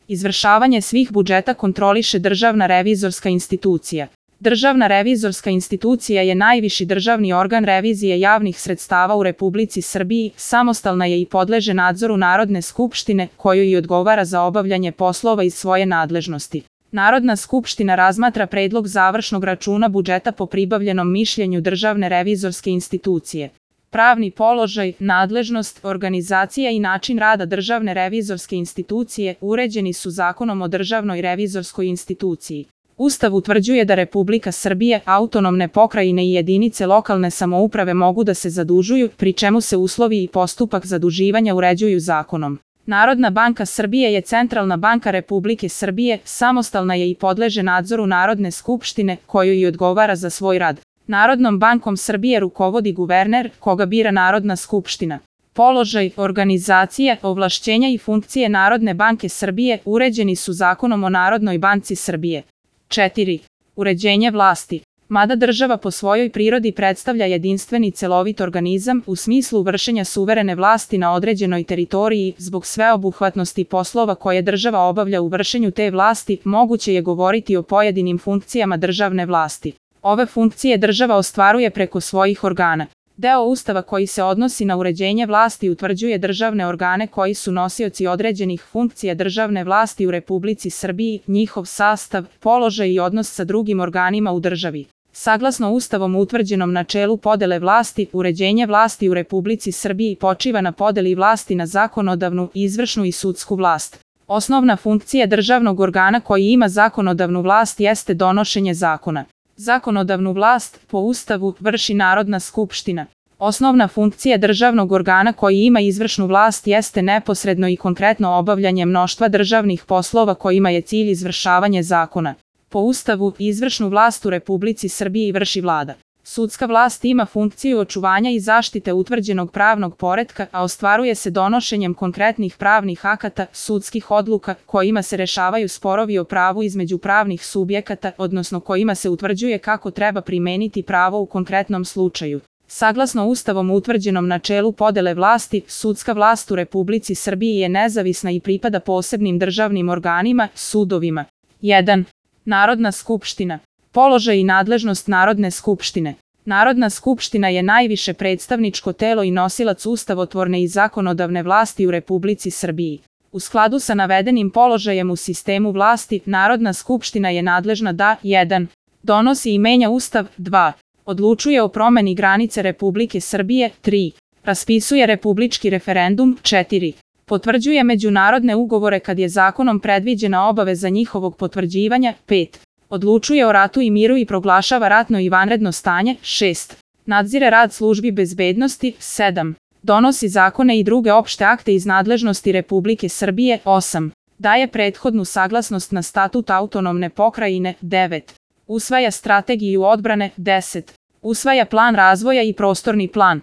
Izvršavanje svih budžeta kontroliše Državna revizorska institucija. Državna revizorska institucija je najviši državni organ revizije javnih sredstava u Republici Srbiji, samostalna je i podleže nadzoru Narodne skupštine, kojoj i odgovara za obavljanje poslova iz svoje nadležnosti. Narodna skupština razmatra predlog završnog računa budžeta po pribavljenom mišljenju Državne revizorske institucije. Pravni položaj, nadležnost, organizacija i način rada Državne revizorske institucije uređeni su Zakonom o Državnoj revizorskoj instituciji. Ustav utvrđuje da Republika Srbije, autonomne pokrajine i jedinice lokalne samouprave mogu da se zadužuju, pri čemu se uslovi i postupak zaduživanja uređuju zakonom. Narodna banka Srbije je centralna banka Republike Srbije, samostalna je i podleže nadzoru Narodne skupštine, kojoj i odgovara za svoj rad. Narodnom bankom Srbije rukovodi guverner, koga bira Narodna skupština. Položaj, organizacija, ovlašćenja i funkcije Narodne banke Srbije uređeni su Zakonom o Narodnoj banci Srbije. 4. Uređenje vlasti. Mada država po svojoj prirodi predstavlja jedinstveni celovit organizam u smislu vršenja suverene vlasti na određenoj teritoriji, zbog sveobuhvatnosti poslova koje država obavlja u vršenju te vlasti, moguće je govoriti o pojedinim funkcijama državne vlasti. Ove funkcije država ostvaruje preko svojih organa. Deo Ustava koji se odnosi na uređenje vlasti utvrđuje državne organe koji su nosioci određenih funkcija državne vlasti u Republici Srbiji, njihov sastav, položaj i odnos sa drugim organima u državi. Saglasno Ustavom utvrđenom načelu podele vlasti, uređenje vlasti u Republici Srbiji počiva na podeli vlasti na zakonodavnu, izvršnu i sudsku vlast. Osnovna funkcija državnog organa koji ima zakonodavnu vlast jeste donošenje zakona. Zakonodavnu vlast, po Ustavu, vrši Narodna skupština. Osnovna funkcija državnog organa koji ima izvršnu vlast jeste neposredno i konkretno obavljanje mnoštva državnih poslova kojima je cilj izvršavanje zakona. Po Ustavu, izvršnu vlast u Republici Srbiji vrši Vlada. Sudska vlast ima funkciju očuvanja i zaštite utvrđenog pravnog poretka, a ostvaruje se donošenjem konkretnih pravnih akata, sudskih odluka, kojima se rešavaju sporovi o pravu između pravnih subjekata, odnosno kojima se utvrđuje kako treba primeniti pravo u konkretnom slučaju. Saglasno Ustavom utvrđenom načelu podele vlasti, sudska vlast u Republici Srbiji je nezavisna i pripada posebnim državnim organima, sudovima. 1. Narodna skupština. Položaj i nadležnost Narodne skupštine. Narodna skupština je najviše predstavničko telo i nosilac ustavotvorne i zakonodavne vlasti u Republici Srbiji. U skladu sa navedenim položajem u sistemu vlasti, Narodna skupština je nadležna da 1. Donosi i menja Ustav, 2. Odlučuje o promeni granice Republike Srbije, 3. Raspisuje republički referendum, 4. Potvrđuje međunarodne ugovore kad je zakonom predviđena obaveza njihovog potvrđivanja, 5. Odlučuje o ratu i miru i proglašava ratno i vanredno stanje, 6. Nadzire rad službi bezbednosti, 7. Donosi zakone i druge opšte akte iz nadležnosti Republike Srbije, 8. Daje prethodnu saglasnost na statut autonomne pokrajine, 9. Usvaja strategiju odbrane, 10. Usvaja plan razvoja i prostorni plan.